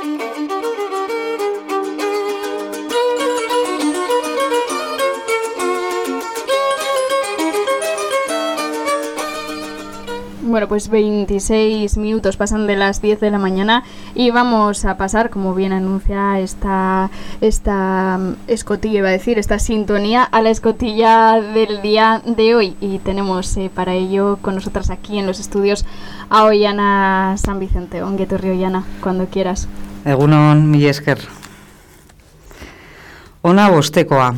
Bueno, pues 26 minutos pasan de las 10 de la mañana y vamos a pasar, como bien anuncia esta escotilla, iba a decir, esta sintonía, a la escotilla del día de hoy. Y tenemos para ello con nosotras aquí en los estudios a Oiana San Vicente. Ongi etorri, Oiana, cuando quieras. Egunon, mila esker. Ona bostekoa.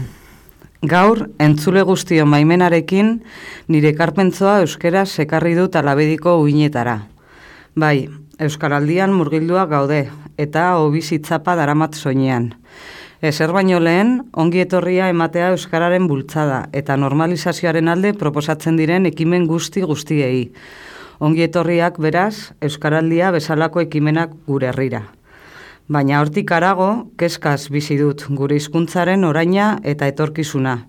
Gaur, entzule guztion baimenarekin, nire ekarpentzoa euskaraz ekarri dut alabediko uinetara. Bai, euskaraldian murgildua gaude, eta obizitzapa daramat soinean. Ezer baino lehen, ongi etorria ematea euskararen bultzada, eta normalizazioaren alde proposatzen diren ekimen guztiei. Ongi etorriak beraz, euskaraldia bezalako ekimenak gure herrira. Baina hortik harago, kezkaz bizi dut gure hizkuntzaren oraina eta etorkizuna.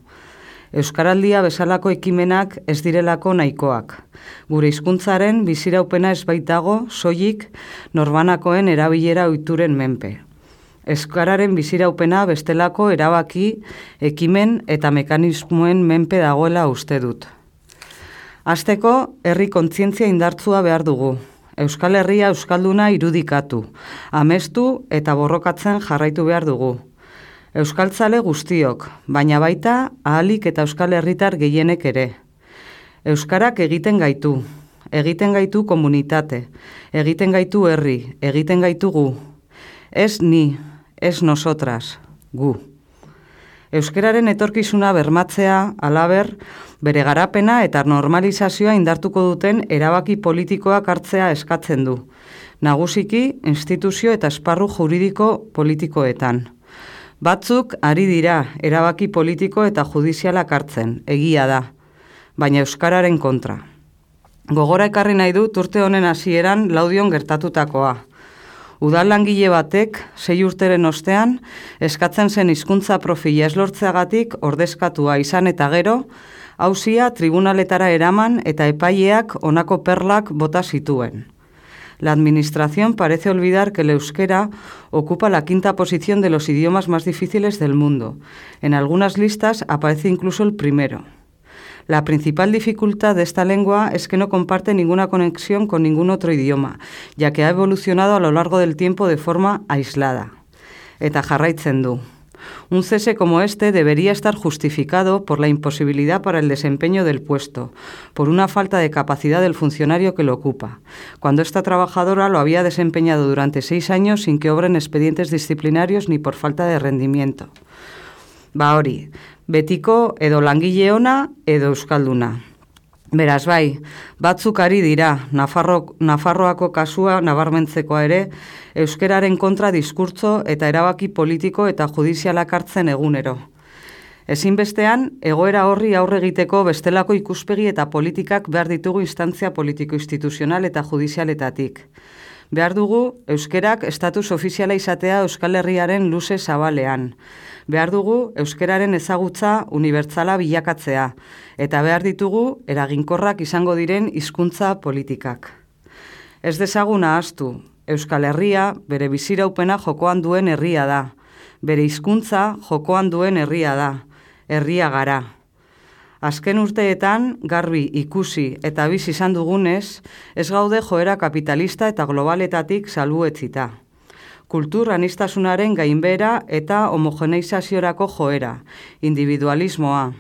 Euskaraldia bezalako ekimenak ez direlako nahikoak. Gure hizkuntzaren biziraupena ez baitago soilik norbanakoen erabilera ohituren menpe. Euskararen biziraupena bestelako erabaki, ekimen eta mekanismoen menpe dagoela uste dut. Hasteko, herri kontzientzia indartsua behar dugu. Euskal Herria euskalduna irudikatu, amestu eta borrokatzen jarraitu behar dugu. Euskaltzale guztiok, baina baita ahalik eta euskal herritar gehienek ere. Euskarak egiten gaitu komunitate, egiten gaitu herri, egiten gaitu gu. Ez ni, ez nosotras, gu. Euskararen etorkizuna bermatzea, halaber, bere garapena eta normalizazioa indartuko duten erabaki politikoak hartzea eskatzen du. Nagusiki, instituzio eta esparru juridiko politikoetan. Batzuk ari dira erabaki politiko eta judizialak hartzen, egia da, baina euskararen kontra. Gogora ekarri nahi dut urte honen hasieran Laudion gertatutakoa. Udal langile batek, 6 urteren ostean, eskatzen zen hizkuntza profila ez lortzeagatik ordezkatua izan eta gero, auzia tribunaletara eraman eta epaileak honako perlak bota zituen. La administración parece olvidar que el euskera ocupa la 5ª posición de los idiomas más difíciles del mundo. En algunas listas aparece incluso el primero. La principal dificultad de esta lengua es que no comparte ninguna conexión con ningún otro idioma, ya que ha evolucionado a lo largo del tiempo de forma aislada. Eta jarraitzen du. Un cese como este debería estar justificado por la imposibilidad para el desempeño del puesto, por una falta de capacidad del funcionario que lo ocupa, cuando esta trabajadora lo había desempeñado durante 6 años sin que obren expedientes disciplinarios ni por falta de rendimiento. Hori, betiko edo langile ona edo euskalduna. Beraz bai, batzuk ari dira, Nafarroako kasua nabarmentzekoa ere, euskeraren kontra diskurtso eta erabaki politiko eta judizialak hartzen egunero. Ezinbestean, egoera horri aurre egiteko bestelako ikuspegi eta politikak behar ditugu instantzia politiko-instituzional eta judizialetatik. Behar dugu, euskerak estatus ofiziala izatea Euskal Herriaren luze zabalean. Behar dugu, euskeraren ezagutza unibertsala bilakatzea, eta behar ditugu, eraginkorrak izango diren hizkuntza politikak. Ez dezagun ahaztu, Euskal Herria bere biziraupena jokoan duen herria da, bere hizkuntza jokoan duen herria da, herria gara. Azken urteetan, garbi ikusi eta bizi izan dugunez, ez gaude joera kapitalista eta globaletatik salbuetzita. Kultur aniztasunaren gainbehera eta homogeneizaziorako joera, individualismoa.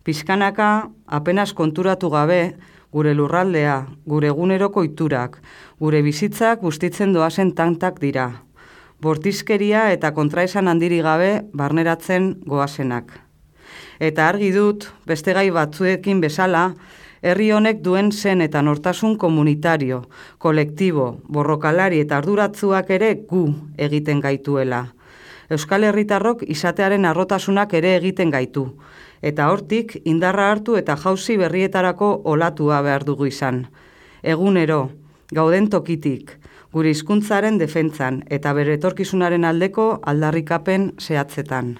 Pizkanaka, apenas konturatu gabe, gure lurraldea, gure eguneroko ohiturak, gure bizitzak bustitzen doazen tantak dira. Bortizkeria eta kontraesan handiri gabe barneratzen goazenak. Eta argi dut, beste gai batzuekin bezala, herri honek duen zen eta nortasun komunitario, kolektibo, borrokalari eta arduratzuak ere gu egiten gaituela. Euskal Herritarrok izatearen harrotasunak ere egiten gaitu, eta hortik indarra hartu eta jauzi berrietarako olatua behar dugu izan. Egunero, gauden tokitik, gure hizkuntzaren defentzan eta bere etorkizunaren aldeko aldarrikapen zehatzetan.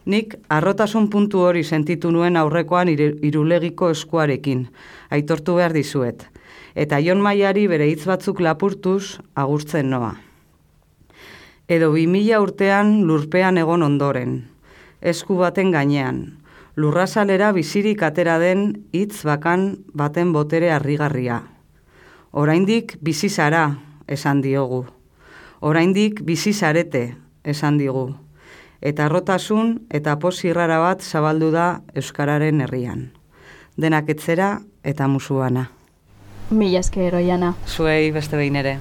Nik harrotasun puntu hori sentitu nuen aurrekoan Irulegiko eskuarekin, aitortu behar dizuet, eta Jon Maiari bere hitz batzuk lapurtuz agurtzen noa. Edo 2000 urtean lurpean egon ondoren, esku baten gainean, lurrazalera bizirik atera den hitz bakan baten botere harrigarria. Oraindik bizi zara, esan diogu. Oraindik bizi zarete, esan digu. Eta harrotasun eta pozirrara bat zabaldu da euskararen herrian. Denak etzera eta musuana. Mila esker, Oiana. Zuei beste behin ere.